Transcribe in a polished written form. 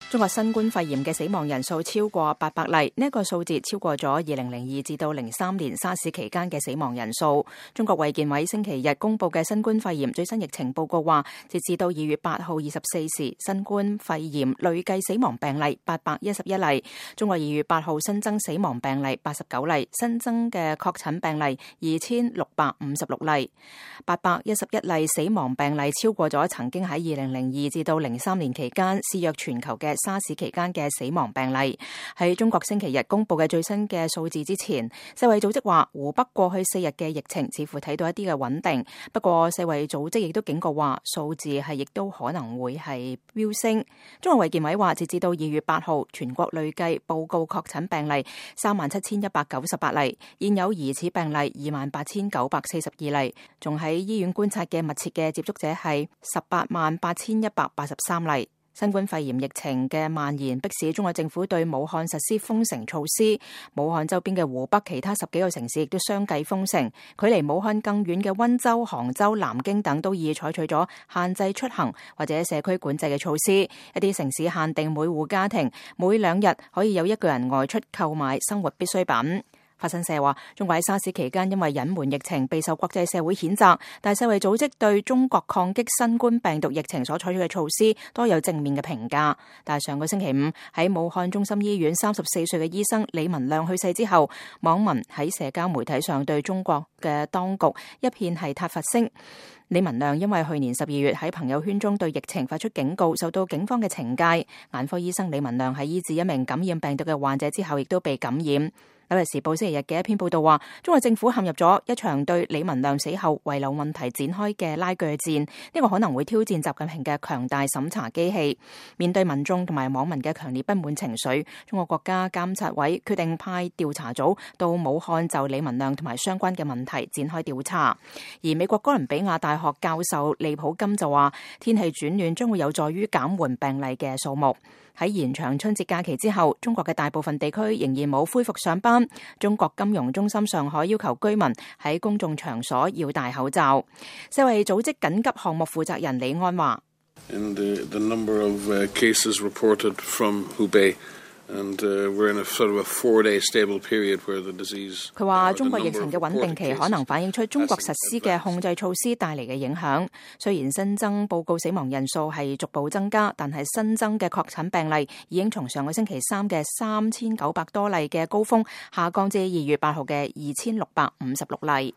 中國新冠肺炎嘅死亡人數超過800例，呢一個數字超過咗2002至到03年沙士期間嘅死亡人數。中國衛健委星期日公布嘅新冠肺炎最新疫情報告話，截至到2月8號24時，新冠肺炎累計死亡病例811例。中國2月8號新增死亡病例89例，新增嘅確診病例2656例。811例死亡病例超過咗曾經喺2002至到03年期間肆虐全球嘅沙士期間嘅死亡病例。喺中國星期日公布嘅最新嘅數字之前，世衛組織話湖北過去4日嘅疫情似乎睇到一啲嘅穩定，不過世衛組織亦都警告話數字亦都可能會係飆升。中國衛健委話，截至到2月8號，全國累計報告確診病例37198例，現有疑似病例28942例，仲喺醫院觀察嘅密切嘅接觸者係188,183例。新冠肺炎疫情嘅蔓延迫使中國政府對武漢實施封城措施，武漢周邊嘅湖北其他10幾個城市亦都相繼封城，距離武漢更遠嘅溫州、杭州、南京等都已採取咗限制出行或者社區管制嘅措施，一啲城市限定每戶家庭每2日可以有1個人外出購買生活必需品。法新社話，中國喺沙士期間因為隱瞞疫情備受國際社會譴責，但世衛組織對中國抗擊新冠病毒疫情所採取嘅措施多有正面嘅評價。但係上個星期5喺武漢中心醫院34歲嘅醫生李文亮去世之後，網民喺社交媒體上對中國嘅當局一片係撻伐聲。李文亮因為去年12月喺朋友圈中對疫情發出警告，受到警方嘅懲戒。眼科醫生李文亮喺醫治一名感染病毒嘅患者之後，亦都被感染。紐約時報星期日嘅一篇報道話，中國政府陷入咗一場對李文亮死後遺留問題展開嘅拉鋸戰，呢個可能會挑戰習近平嘅強大審查機器。面對民眾同埋網民嘅強烈不滿情緒，中國國家監察委決定派調查組到武漢就李文亮同埋相關嘅問題展開調查。而美國哥倫比亞大學教授利普金就話，天氣轉暖將會有助於減緩病例嘅數目。喺延長春節假期之後，中國嘅大部分地區仍然冇恢復上班。中國金融中心上海要求居民喺公眾場所要戴口罩。世衛組織緊急項目負責人李安話，佢話中國疫情嘅穩定期可能反映出中國實施嘅控制措施帶嚟嘅影響。雖然新增報告死亡人數係逐步增加，但係新增嘅確診病例已經從上個星期3嘅3900多例嘅高峰下降至2月8號嘅2656例。